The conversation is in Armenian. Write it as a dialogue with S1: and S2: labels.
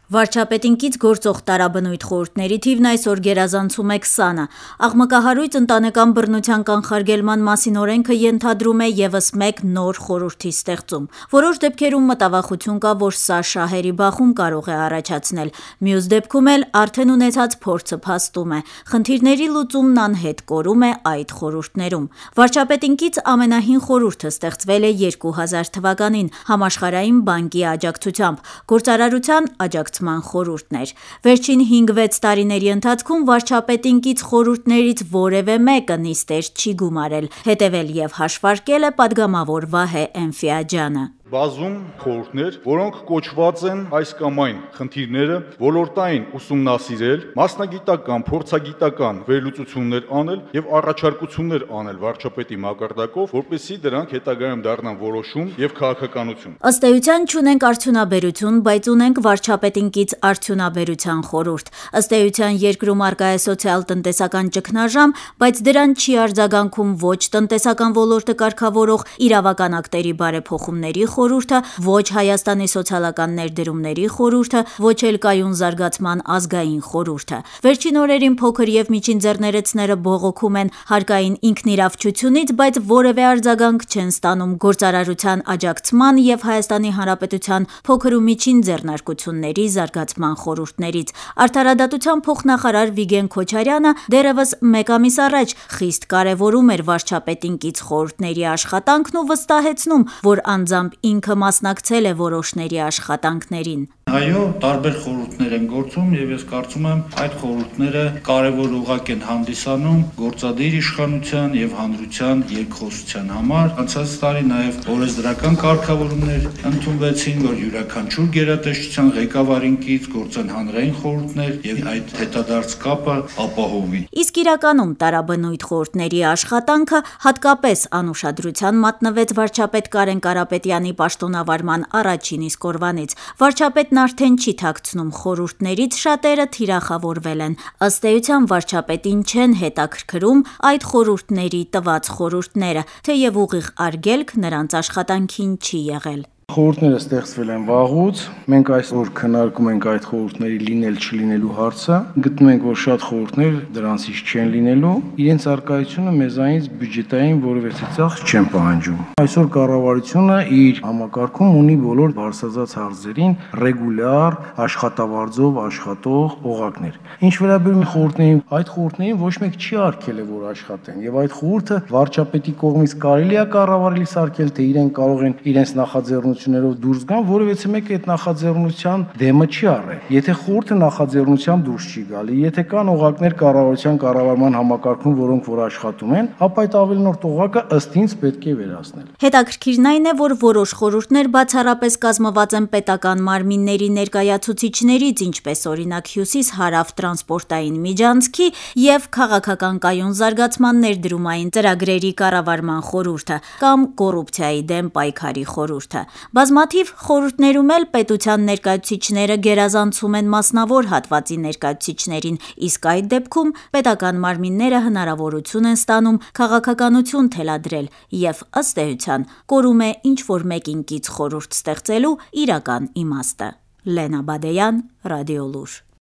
S1: Վարչապետին կից գործող տարաբնույթ խորհուրդների թիվն այսօր գերազանցում է 20-ը։ Աղմկահարույց ընտանեկան բռնության կանխարգելման մասին օրենքը ենթադրում է ևս մեկ նոր խորհրդի ստեղծում։ Որոշ դեպքերում մտավախություն կա, որ սա շահերի բախում կարող է առաջացնել, մյուս դեպքում էլ արդեն ունեցած փորձը փաստում է։ Խնդիրների լուծումն անհետ կորում է այդ խորհուրդներում։ Վարչապետին կից ամենահին խորհուրդը ստեղծվել է 2000 թվականին Համաշխարհային բանկի աջակցությամբ, գործարարության աջակցման խորհուրդներ։ Վերջին 5-6 տարիների ընթացքում վարչապետին կից խորհուրդներից որևէ մեկը նիստեր չի գումարել, հետևել եւ հաշվարկել է պատգամավոր Վահե Էնֆիաջյանը։
S2: Բազում խորհուրդներ, որոնք կոչված են այս կամ այն խնդիրները ոլորտային ուսումնասիրել, մասնագիտական, փորձագիտական վերլուծություններ անել եւ առաջարկություններ անել վարչապետի մակարդակով, որպեսզի դրանք հետագայում դառնան որոշում եւ քաղաքականություն։
S1: Ըստ էության չունենք արդյունաբերություն, բայց ունենք վարչապետին կից արդյունաբերության խորհուրդ։ Ըստ էության երկրում առկա է սոցիալ-տնտեսական ճգնաժամ, բայց դրան չի արձագանքում ոչ տնտեսական ոլորտը կարգավորող իրավական ակտերի բարեփոխումների խորհուրդը, ոչ Հայաստանի սոցիալական ներդրումների խորհուրդը, ոչ էլ կայուն զարգացման ազգային խորհուրդը։ Վերջին օրերին փոքր եւ միջին ձեռներեցները բողոքում են հարկային ինքնիրավչությունից, բայց որևէ արձագանք չեն ստանում գործարարության աջակցման եւ Հայաստանի Հանրապետության փոքր ու միջին ձեռնարկությունների զարգացման խորհուրդներից։ Արդարադատության փոխնախարար Վիգեն Քոչարյանը դեռևս մեկ ամիս առաջ խիստ կարևորում էր վարչապետին կից խորհուրդների աշխատանքն ու վստահեցնում, որ անձամբ ինքը մասնակցել է որոշների աշխատանքներին։
S3: Այո, տարբեր խորհուրդներ են գործում եւ ես կարծում եմ այդ խորհուրդները կարևոր ուղղակ են հանդիսանում գործադիր իշխանության եւ հանրության երկխոսության համար։ Անցած տարի նաեւ օրենսդրական կարգավորումներ ընդունվեցին, որ յուրաքանչյուր գերատեսչության ղեկավարին կից գործեն հանրային խորհուրդներ եւ այդ հետադարձ կապը ապահովի։
S1: Իսկ իրականում տարաբնույթ խորհուրդների աշխատանքը հատկապես անուշադրության մատնվեց վարչապետ Կարեն Կարապետյանի պաշտոնավարման առաջին իսկ օրվանից։ Վարչապետն արդեն չի թաքցնում խորհուրդներից շատերը թիրախավորվել են։ Ըստ էության վարչապետին չեն հետաքրքրում այդ խորհուրդների տված խորհուրդները, թեև ուղիղ արգելք նրանց աշխատանքին չի եղել։
S4: Խորհուրդները ստեղծվել են վաղուց, մենք այսօր քննարկում ենք այդ խորհուրդների լինել-չլինելու հարցը, գտնում ենք, որ շատ խորհուրդներ դրանցից չեն լինելու, իրենց առկայությունը մեզանից բյուջետային որևէ ծախս չեն պահանջում։ Այսօր կառավարությունը իր համակարգում ունի բոլոր բարձրացած հարցերին ռեգուլյար աշխատավարձով աշխատող օղակներ։ Ինչ վերաբերում է խորհուրդներին, այդ խորհուրդներին ոչ մեկ չի արգելել, որ աշխատեն, եւ այդ խորհուրդը վարչապետի կողմից կարելի է կառավարելի սարքել, թե իրենք կարող են իրենց նախաձեռնություններով դուրս գան, որովհետեւ մեկը այդ նախաձեռնության դեմը չի առել։ Եթե խորհուրդը նախաձեռնությամբ դուրս չի գալի, եթե կան օղակներ կառավարության կառավարման համակարգում, որոնք որ աշխատում են, ապա այդ ավելնորդ օղակը ըստ ինձ պետք է վերացնել։
S1: Հետաքրքիրն այն է, որ որոշ խորհուրդներ բացառապես կազմված են պետական մարմինների ներկայացուցիչներից, ինչպես օրինակ Հյուսիս-Հարավ տրանսպորտային միջանցքի եւ քաղաքական կայուն զարգացման ներդրումային ծրագրերի կառավարման խորհուրդը կամ կոռուպցիայի դեմ պայքարի խորհուրդը։ Բազմաթիվ խորհուրդներում էլ պետության ներկայացուցիչները գերազանցում են մասնավոր հատվածի ներկայացուցիչներին, իսկ այդ դեպքում պետական մարմինները հնարավորություն են ստանում քաղաքականություն թելադրել եւ ըստ էության կորում է ինչ-որ մեկին կից խորհուրդ ստեղծելու իրական իմաստը։ Լենա Բադեյան, Ռադիոլուր։